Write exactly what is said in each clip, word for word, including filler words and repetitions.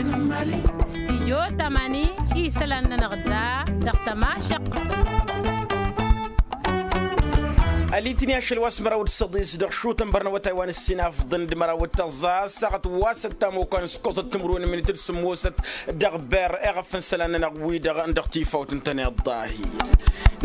Stijyo tamani isălan-nănăɣ da dăɣ-tămašăq. Alitni ašăl wa s-măraw d-săḍis dăɣ-šutăn bărnăwătay wa n-ǝssin afḍăn d-măraw d-tăẓẓa ăssaɣăt wa s-ăttamokăn s-koẓăt timǝrwen n-minit d-sǝmmosăt dăɣ-berr eɣăf n-isălan-nănăɣ wi-dăɣ n-dăɣ-tifawt n-tăneḍḍahi.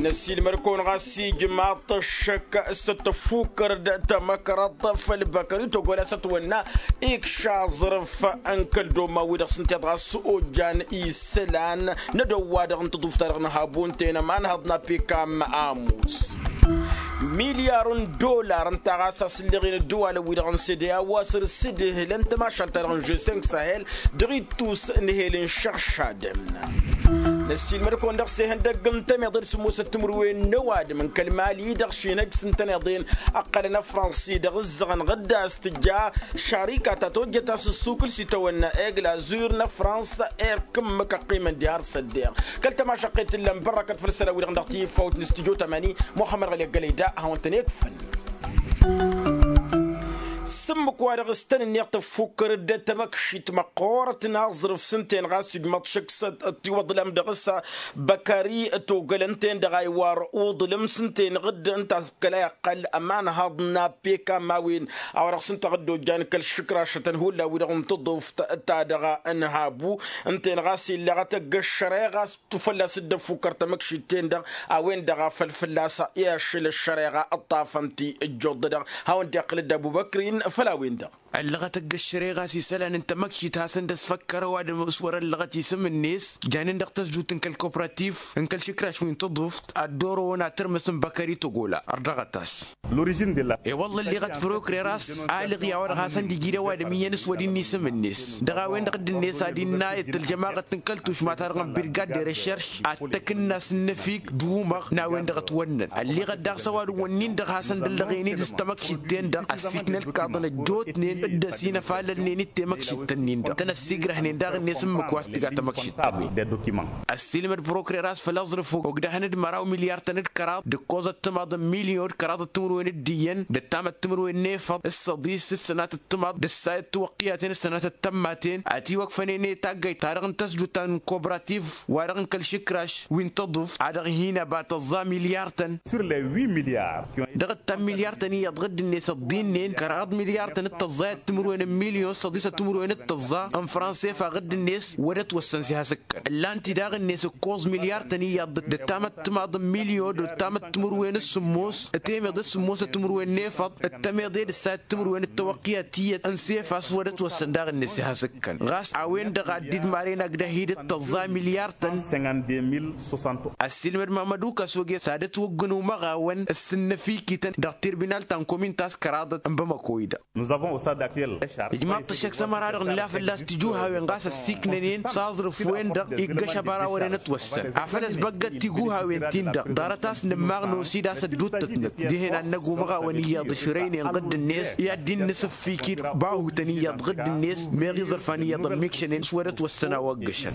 Năssiilmăd-kăwăn ɣas ijmaḍ-t ăššăk s-ăttăffukkăr d-tamăkrăḍt făll-băkări togol a-s ătwănna ikš aẓrǝf n-kăl-domma-wi-dăɣ s-ǝnta iḍa s-ojjan isălan n-edăw-wa-dăɣ n-tăḍuft-ta-dăɣ n-habu ǝnta-en ămanhăḍ n-apikam amus. Milyar n-dollar ǝnta ɣas a-s ǝlleɣ-in ăddăwalăn-wi-dăɣ n-sede a-wa săr-s dd-ihǝlăn tămašalt-ta-dăɣ n-žeseng sahel dăɣ-ittus n-ehel n-išăɣšadăn. Năssiilmăd-kăwăn dăɣ-s ihăndăgg n-tăneḍe d-sǝmmosăt timǝrwen n-ăwadǝm n-kăl-mali-i-dăɣ šinăj s-ǝntăneḍen ăqqălăn ăfrănsi dăɣ-ǝzzăɣăn ɣǝdda a-s tǝjja šarika ta tojjăt a-s ǝssukǝl s-itawănna egl azur n-ăfrăns erk ǝmmǝk ăqqimăn diha ar s-ăddeɣ kăl-tămašăqqet ǝllan bărrăkăt făll-isălan-wi-dăɣ dăɣ-tifawt n-studyo tamani muxămmăd ɣăli ăggălăy da ad-hawăn-tăn-ikfăn. S-ǝmmǝk-wa-dăɣ s-tăn-ǝnniɣ tăffukkăr-dd tamăkšit măqqoorăt n-aẓrǝf s-ǝnta-en ɣas ijmaḍ šăkk s-ăttiwăḍlam dăɣ-s băkari togăl ǝnta-en-dăɣ a iwar uḍlǝm s-ǝnta-en ɣǝdd ǝnta a-s kăla iqqăl ămanhăḍ n-apekam a-wen a-wa dăɣ-s ǝnta ɣǝdd ojjan kăl-išǝkrašătăn hullan-wi-dăɣ n-tǝḍuft ta-dăɣ n-habu ǝnta-en ɣas illăɣăt ăgg-ăššăreɣa a-s tufălla s-dd-ăffukkăr tamăkšit-ten-dăɣ a-wen-dăɣ a făl fălla-s i-ašăl ăššăreɣa ǝṭṭafăn-t ijjuḍ-dăɣ. Hawăn-dd-iqqǝl dd-abubăkrin făll-a-wen-dăɣ. Ăllăɣăt ăgg-ăššăreɣa a-s isălan n-tamăkšit hasăn-dd-ăsfăkkăr ăwadǝm s-wăr-ăllăɣăt isǝm-net janen dăɣ-tăzdut n-kăl-kopratif n-kăl-išǝkraš wi n-tǝḍuft ad-dd-orăwăn ad-tărmǝsǝm băkări tăgola ărdăɣăt-as. I-wălla ălleɣăt prokrera a-s alăɣ i-a-wa-dăɣ hasăn-dd-iji d-ăwadǝm iyyăn s-wăr-dd-innă isǝm-net dăɣ-a-wen-dăɣ dd-net ad-innă i-tălžămaɣăt n-kăl-tušma-ta-dăɣ n-birgad de recherš ad-t-ăkǝnna s-ǝnnăfik d-umăɣ n-a-wen-dăɣ ătwănnăn ălleɣăt daɣ s-ăwadǝm-wǝnnin-dăɣ hasăn-dd-ăllăɣen-dd s-tamăkšit-ten-dăɣ ăssiiknălkaḍăn ăjjootnen dd-ăsinăfalălnen-dd temăkšit-tăn-in-dăɣ tăn-ăssiigrăhnen daɣ-net ǝmmǝk wa s-tǝga tamăkšit-ta-wen. Ăssiilmăd prokrera a-s făll-aẓrǝf ogdăhăn d-măraw milyar-tăn d-kăraḍ d-ǝkkoẓăt timaḍ n-milyon d-kăraḍăt timǝrwen d-iyyăn d-ăttamăt timǝrwen n-efăḍ s-săḍis s-sănatăt timaḍ d-ăssayăt tiwăqqiyăten s-sănatăt tămmaten. Ătiwăkfănen i-taggayt-ta-dăɣ n-tăsdut ta n-kobrativ wa-dăɣ n-kăl-išǝkraš wi n-tăḍuft a dăɣ-hin-ăba tăẓẓa milyar-tăn. Dăɣ-ǝttam milyar-tăn iyyăḍ ɣǝdd-net ăḍḍinnen kăraḍ milyar-tăn d-tăẓẓayăt timǝrwen n-milyon s-săḍisăt timǝrwen d-tăẓẓa n-fransa efa ɣǝdd-net wăr ătwăssăn s-ihasǝkkăn. Ǝllan-t-i daɣ-net ǝkkoẓ milyar-tăn iyyăḍ d-ăttamăt timaḍ n-milyon d-ăttamăt timǝrwen s-sǝmmos d-temeḍe d-sǝmmosăt timǝrwen n-efăḍ d-temeḍe d-ǝssayăt timǝrwen d-tawăqqi a tiyyăt n-sefa s-wăr-ătwăssăn daɣ-net ihasǝkkăn ɣas a-wen-dăɣ ad-dd-maren agdăh-i d-tăẓẓa milyar-tăn. Ăssiilmăd mamădu kăsoge s-ad-ătwăggǝn umăɣawăn s-sǝnnăfikităn dăɣ-tirbinal ta n-komin ta s-kăraḍăt n-bamăko-i-dăɣ. Ijmaḍ-t ăššăk s-ămăra-dăɣ nǝla fălla-s tijuhawen ɣas ăssiiknănen s-aẓrǝf-wen-dăɣ iggăš ăbara wăren ătwăssăn afăl ăsbăggăt tijuhawen-tin-dăɣ ḍarăt a-s nǝmmaɣ n-osid a-s ădduuttătnăt dihen ad-năgg umăɣawăn iyyăḍ ǝšrăynen ɣǝdd-net i-ad-dd-innǝsǝffik-dd bahutăn iyyăḍ ɣǝdd-net meɣ iẓrǝfan iyyăḍ ămmiikšănen s-wăr-ătwăssăn a-wa ăggăšăn.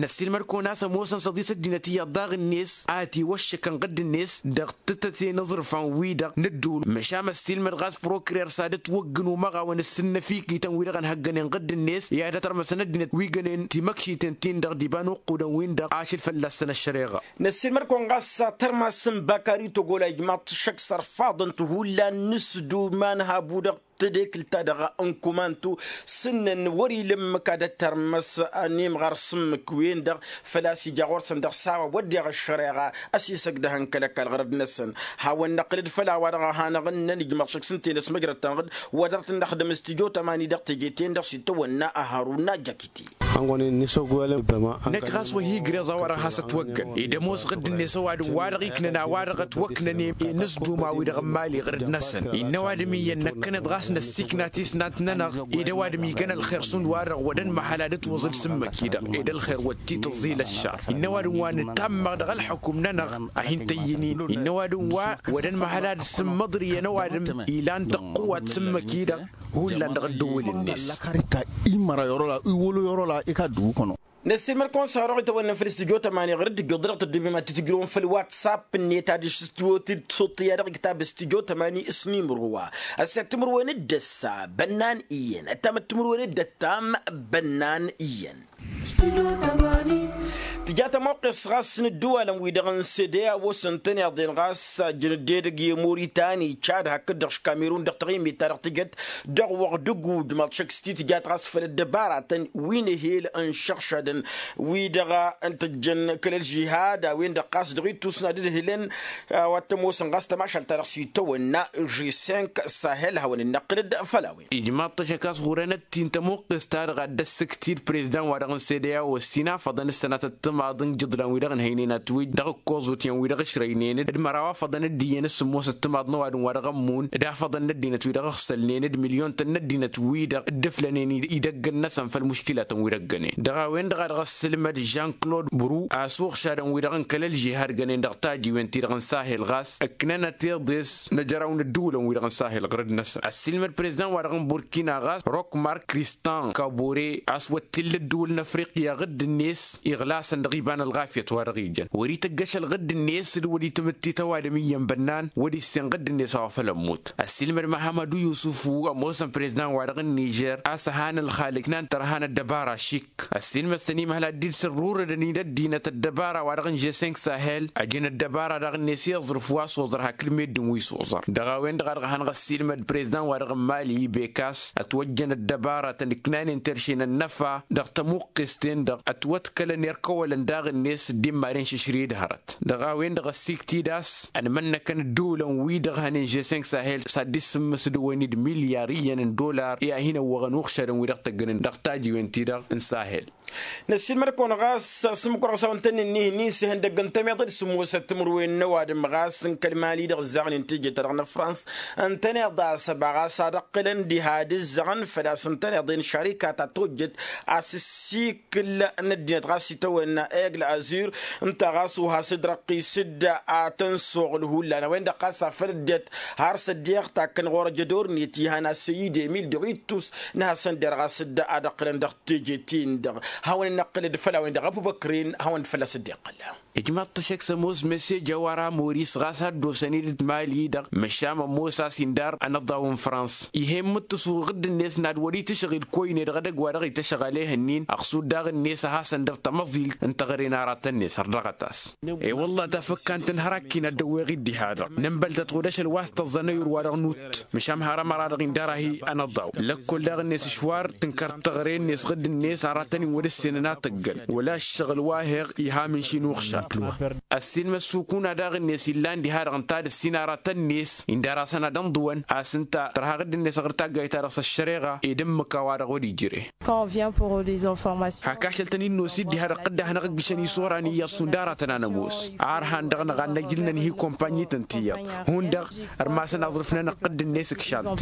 Năssiilmăd-kăwăn a-s ămoosăn săḍis ăddinăt iyyăḍ daɣ-net a ătiwăššăkăn ɣǝdd-net dăɣ-tǝttăten iẓrǝfan-wi-dăɣ n-ădduul măšan ăssiilmăd ɣas prokirer s-ad-ătwăggǝn umăɣawăn s-sǝnnăfikităn-wi-dăɣ ănhăggănen ɣǝdd-net i-ad-ătărmăsăn ăddinăt wi gănen timăkšiten-tin-dăɣ d-iba n-uqqudăn-win-dăɣ ašăl fălla-săn ăššăreɣa. Năssiilmăd-kăwăn ɣas tărmas n-bakari togol a ijmaḍ-t šăkk s-ărfaḍăn-t hullan n-asǝdum a n-habu dăɣ-tedekǝlt-ta-dăɣ n-kumantu s-ǝnnăn wăr-ila ǝmmǝk ad-ătărmăs n-imɣar s-ǝmmǝk-wen-dăɣ făl-a-s ija ɣur-săn dăɣ-s a-wa wădden ăššăreɣa ăsisăgdăhăn kăl-ăkall ɣărăd-năsăn. Hawăn-năqqǝlăd făll-a-wa-dăɣ a hanăɣ-ǝnnăn ijmaḍ šăkk s-ǝnta-en ăsmăjrăd-tăn ɣǝd wa dăr-tăn-dăɣ tǝddǝm s-tijo tămani dăɣ-teje-ten-dăɣ s-itawănna ăhărun n-ajăkit. Năkk ɣas wa hi-igreẓ a-wa-dăɣ has-ătwăggăn ed ămoos ɣǝdd-net ăwadǝm wa-dăɣ iknăn a-wa-dăɣ ătwăknănen i-inǝsduma-wi-dăɣ n-imali ɣărăd-năsăn innă ăwadǝm iyyăn năkkăneḍ ɣas năssiikna tisnant-nănăɣ ed ăwadǝm igan ălxer šund wa-dăɣ wădăn măhăl ad-ǝtwăẓǝl s-ǝmmǝk-i-dăɣ ed ălxer wăr t-tǝẓẓil ăššar innă ăwadǝm wa nǝtammăɣ dăɣ-ălxukǝm-nănăɣ a hin-tăyyǝnin innă ăwadǝm wa wădăn măhăl ad-sǝmmăḍrǝyăn ăwadǝm ilan tăqqǝwat s-ǝmmǝk-i-dăɣ. Hullan dăɣ-ăddǝwǝl-net. Ălăkarita imăra i-wălo i-wălo i-wălo i-kaddǝw kăno. Năssiilmăd-kăwăn s-hărăɣ itawănnăn făll-studyo tămani ɣur-dd ijjuḍ-dăɣ tăddubem ad-t-tǝjrǝwăn făll-whatsapp-net ad-dăɣ-s tiwotǝd suṭṭǝya dăɣ-iktab studyo tămani s-nimro wa. Ăssek timǝrwen d-ăssa bănnan iyyăn ăttamăt timǝrwen d-ăttam bănnan iyyăn. Tǝja tămoqqes ɣas n-ǝddǝwalăn-wi-dăɣ n-sede a-wa s-ǝntăneḍ-en ɣas ajăn dd-edăgg i-muritani cad hakd-dăɣ š-kamerun dăɣ-taɣimit-ta-dăɣ tǝjăt dăɣ-wăɣ d-ǝgujmaḍ šăkk s-ti tǝjat ɣas făll-ăddăbaratăn wi n-ehel ănšăɣšadăn wi-dăɣ n-tăjjăn kăl-ălžihad a-wen-dăɣ ɣas dăɣ-ittus n-ad-ǝdhǝlăn. A-wa t-ămoosăn ɣas tămašalt-ta-dăɣ s-itawănna žesink sahel hawăn-dd-năqqǝl-dd făll-a-wen. Ijmaḍ-t ăššăk a-s ɣur-enăt-t-in tămoqqest-ta-dăɣ ad-dd-ăssǝkt-dd prezdan-wa-dăɣ n-sede a-wa ăssinafăḍăn s-sănatăt timaḍ n-ijǝḍlan-wi-dăɣ ǝnhăynen atwǝjj dăɣ-ǝkkoẓut iyyăn-wi-dăɣ ǝšrăynen d-măraw afăḍăn dd-iyyăn s-sǝmmosăt timaḍ n-ăwadǝm wa dăɣ-ămmun d-afăḍăn n-ăddinăt-wi-dăɣ ǝxsălnen d-milyon-tăn n-ăddinăt-wi-dăɣ dd-ǝflănen idăgg-năsăn făll-muškilatăn wi dăggănen dăɣ-a-wen-dăɣ a dăɣ-ăssǝlmăd žan-klod bru a-s uɣšadăn-wi-dăɣ n-kăl-ălžihad gănen dăɣ-tajiwen-ti-dăɣ n-sahel ɣas ǝknănăt iḍes n-ajăraw n-ădduulăn-wi-dăɣ n-sahel ɣur-dd-năsăn ăssiilmăd prezdan-wa-dăɣ n-burkina ɣas rokmar kristan kabore a-s wăt t-illa ădduul n-afriqya ɣǝdd-net iɣlasăn dăɣ-iba n-ălɣafyăt wa dăɣ-ijăn wăr-ităjj ašăl ɣǝdd-net d-wăr-i tǝmǝttit ăwadǝm iyyăn bănnan wăr-issen ɣǝdd-net a-wa făl ămmut. Ăssiilmăd măhămădu yusufu ămoosăn prezdan-wa-dăɣ n-nižer a-s ăhan ălxalǝk n-ad-tărha n-ăddăbara šik ăssiilmăd-tăn imhăl ad-dd-sărrurădăn-dd ăddinăt ăddăbara-wa-dăɣ n-žesink sahel ăjăn ăddăbara daɣ-net i-aẓrǝf wa s-oẓăr hakd meddǝn wi s-oẓăr. Dăɣ-a-wen-dăɣ a dăɣ-hăn ɣăssiilmăd prezdan-wa-dăɣ n-mali ibekas ătwăjjăn ăddăbara tăn-ǝknanen terše n-ănnăfa dăɣ-tămuqqes-ten-dăɣ ătwăḍkălăn irkăwălăn daɣ-net dd-immaden šǝšrǝy d-hărăt. Dăɣ-a-wen-dăɣ ăssiiktǝy d-a-s ănmănnăkăn ǝddǝwǝlăn-wi-dăɣ hănen žesink sahel s-ad-dd-sǝmmǝsdăwăn-dd milyar iyyăn n-dollar i-ad-hin-ăwwăɣăn uɣšadăn-wi-dăɣ tăggănen dăɣ-tajiwen-ti-dăɣ n-sahel. Năssiilmăd-kăwăn ɣas s-ǝmmǝk wăr-ɣas a-wa ǝntănnen ih'-nin s-ihăndăgg n-tămiḍe d-sǝmmosăt timǝrwen n-ăwadǝm ɣas n-kăl-mali dăɣ-ǝzzaɣnen teje-ta-dăɣ n-fransa ǝntăneḍ a-s ăba ɣas ad-ăɣ qǝlăn diha d-ǝzzăɣăn făl-a-s ǝntăneḍ-en šarikat a tojjăt a-s ǝssikǝl n-ăddinăt ɣas itawănna egl azur ǝnta ɣas uhas ǝdrăqqis-dd a tăn-soɣǝl hullan a-wen-dăɣ ɣas afăl ăddinăt har s-ăddiɣ takkăn ɣur-ăjădor-net ihan asăy idemil dăɣ-ittus n-hasăn-der ɣas dd-ad-ăqqǝlăn dăɣ-teje-tin-dăɣ. Hawăn-in-năqqǝlăd făll-a-wen-dăɣ ăbubăkren hawăn-dd fălla-s dd-iqqăl. Ijmaḍ-t ăššăk s-ămoos mesej a-wa rămoris ɣas ad-dd-osăn-dd mali-dăɣ măšan ămoos a-s indar ănăḍḍaw n-frans ih'-e n-imǝttǝsu ɣǝdd-net n-ad-wăr-itǝšɣǝl koyne dăɣ-edăgg wa dăɣ-ităšăɣ ălehăn-in ăɣsud daɣ-net a hasăn-dăr tămăẓilt n-teɣăre n-aratăn-net ărdăɣăt-as. E-wălla tafăkka n-tăn-hărăkk inăddăwweɣ-dd diha-dăɣ nǝnbăl-tăt ɣud ašăl wa s-tăẓẓăn ăyur-wa-dăɣ nutt. Măšan hărămăra-dăɣ indar ahi ănăḍaw lăkkol daɣ-net ǝšwar tǝnkăr teɣăre-net ɣǝdd-net aratăn-in wăr-ǝssenăn ad-tăggăn wăla ǝššăɣǝl wa heɣ iha mǝnši n-uɣšad. Ăssiilmăd sukuna daɣ-net illan diha-dăɣ ǝnta ad-ǝssin aratăn-net indar-asăn ad-ǝnḍǝwăn a-s ǝnta tărha ɣǝdd-net ɣur-taggayt-ta-dăɣ s-ăššăreɣa ed ǝmmǝk a-wa-dăɣ wăr-ijre. Hak ašăl tăn-in-nosid diha-dăɣ tǝdda hanăɣ-ǝggǝšăn isora n-iyyăḍ šund aratăn anămoos a ărhan dăɣ-năɣ ad-năjǝl nănhǝy kompanyităn tiyyăḍ hundăɣ ărmasăn aẓrǝf-nănăɣ ɣǝdd-net ǝkšan-t.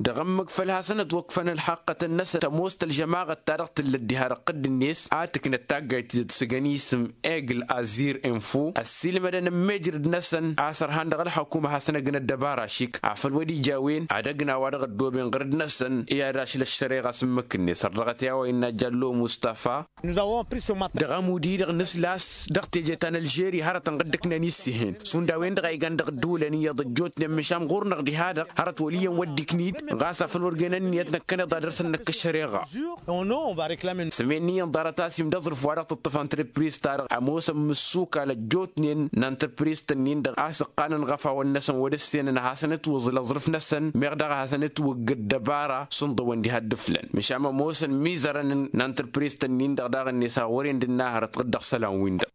Dăɣ-ǝmmǝk făl hasăn-ătwăkfăn ălxaqqătăn-năsăn tămoos tălžămaɣăt-ta-dăɣ tǝllăt diha-dăɣ ɣǝdd-net a tǝknăt taggayt-ti-dăɣ s-ăgg-ănisǝm egl azir info ăssiilmădăn ămmejrăd-năsăn a-s ărhan dăɣ-ălxăkum ad-hasăn-ăgg n-ăddăbara šik afăl wăr-ija a-wen ad-ăgg n-a-wa-dăɣ ăddooben ɣǝrǝd-năsăn i-ad-ašlăš šăreɣa s-ǝmmǝk-net ărrăɣăt i-a-wa innă jallo mustafa. Dăɣ-amud-i-dăɣ nǝsla a-s dăɣ-teje ta n-ălžeri hărătăn ɣǝddǝknen issehen šund a-wen-dăɣ a igan dăɣ-ǝddǝwǝlăn iyyăḍ ăjjootnen măšan ɣur-năɣ diha-dăɣ hărăt wăl' iyyăn wăr dd-iknid ɣas afăl wăr găyăn ǝnniyăt năkkăneḍ ad-dăr-săn năkk ăššăreɣa. Sămenniyăn ḍarăt a-s imdă aẓrǝf wa dăɣ-tǝṭṭǝf antrǝpriz-ta-dăɣ ămoosăn mǝssuka ălăjjootnen n-antrǝpriz-tăn-in-dăɣ a-s ǝqqanăn ɣăf a-wăn-năsăn wăr-ǝssenăn ad-hasăn-ǝtwǝẓǝl aẓrǝf-năsăn meɣ daɣ ad-hasăn-ǝtwǝgg ăddăbara s-ǝnḍǝwăn diha dd-ǝflăn măšan ămoosăn imizărăn n-antrǝpriz-tăn-in-dăɣ daɣ-net a ɣur-en d-ǝnna hărăt ɣǝddăɣ isălan-win-dăɣ.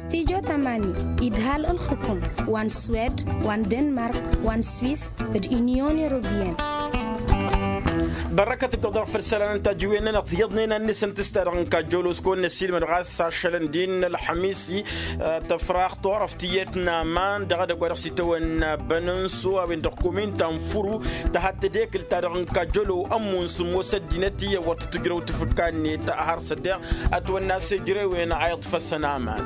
Studyo tămani idhal ǝlxǝkum wa n-swed wa n-denmark wa n-swis d-inyon europiyăn. Bărrăkăt ǝggăḍăɣ făll-isălan n-tajǝwen-nănăɣ tiyyăḍnen ad-nǝsǝntǝs ta-dăɣ n-kajjăwlos kăwăn-năssiilmăd ɣas ašălăn d-innă ălxămis-i tăfraɣ turăft tiyyăt n-aman dăɣ-edăgg wa dăɣ-s itawănna bănănso a-wen dăɣ-kumin ta n-furu tăhadd tedekǝl ta-dăɣ n-kajjălo ămmun sǝmmos ăddinăt iyyăn wăr tǝtǝjrăw tǝfǝkka-net har s-ăddeɣ ătwănna s-ejărewen a iḍfăsăn aman.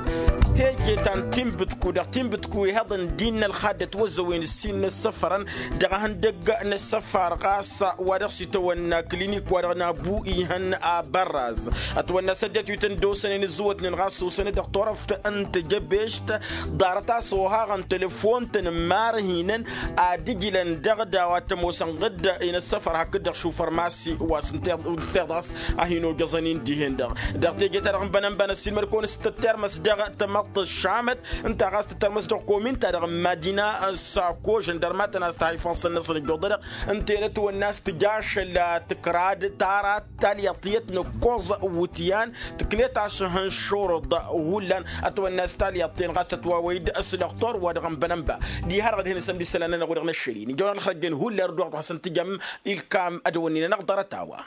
Teje ta n-tinbǝtku dăɣ-tinbǝtku ihăḍăn d-innă ălxaddăt wăzăwen ǝssin n-ăssăfărăn dăɣ-ehăndăgg n-ăssăfar ɣas wa dăɣ-s itawănna n-aklinik wa-dăɣ n-abu ihăn abărraz. Ătwănna s-ăddinăt wi tăn-dd-osănen ǝzzǝwătnen ɣas s-osănăt dăɣ-turăft n-tejăbešt. Ḍarăt a-s ohaɣăn telefon-tăn n-imarhinăn ad-ǝjlăn dăɣ-daw ad-t-ămoosăn ɣǝdda inăssăfăr hakd-dăɣ šufărmasi wa s-ǝnteḍ ɣas a hin-ojăẓăn-in dihen-dăɣ. Dăɣ-teje-ta-dăɣ n-bănănba năssiilmăd-kăwăn s-tăttermăs dăɣ-tamăḍt ăššamăt ǝnta ɣas tăttermăs dăɣ-komin-ta-dăɣ n-madina. S-ako žăndărmatăn a-s tăhayfănsăn-năsăn ǝjjuḍădăɣ ǝnta enăt wănna a-s tǝjašăl tǝkrad tarat talyaḍt tiyyăt n-ǝkkoẓ wǝtyan tǝknet a-s hăn šurǝḍ. Hullan ătwănna a-s talyaḍt-ten ɣas tătwawăy-dd s-dăɣ-tor wa dăɣ-n-bănănba. Diha-dăɣ ad-hin-săn d-isălan-nănăɣ-wi-dăɣ n-ăššăl-in ijăwăn ălxăjjăn hullan d-wa-dăɣ hasăn-tǝjăm ilkam ad-ăwănnin-anăɣ ḍarăt-a-wa.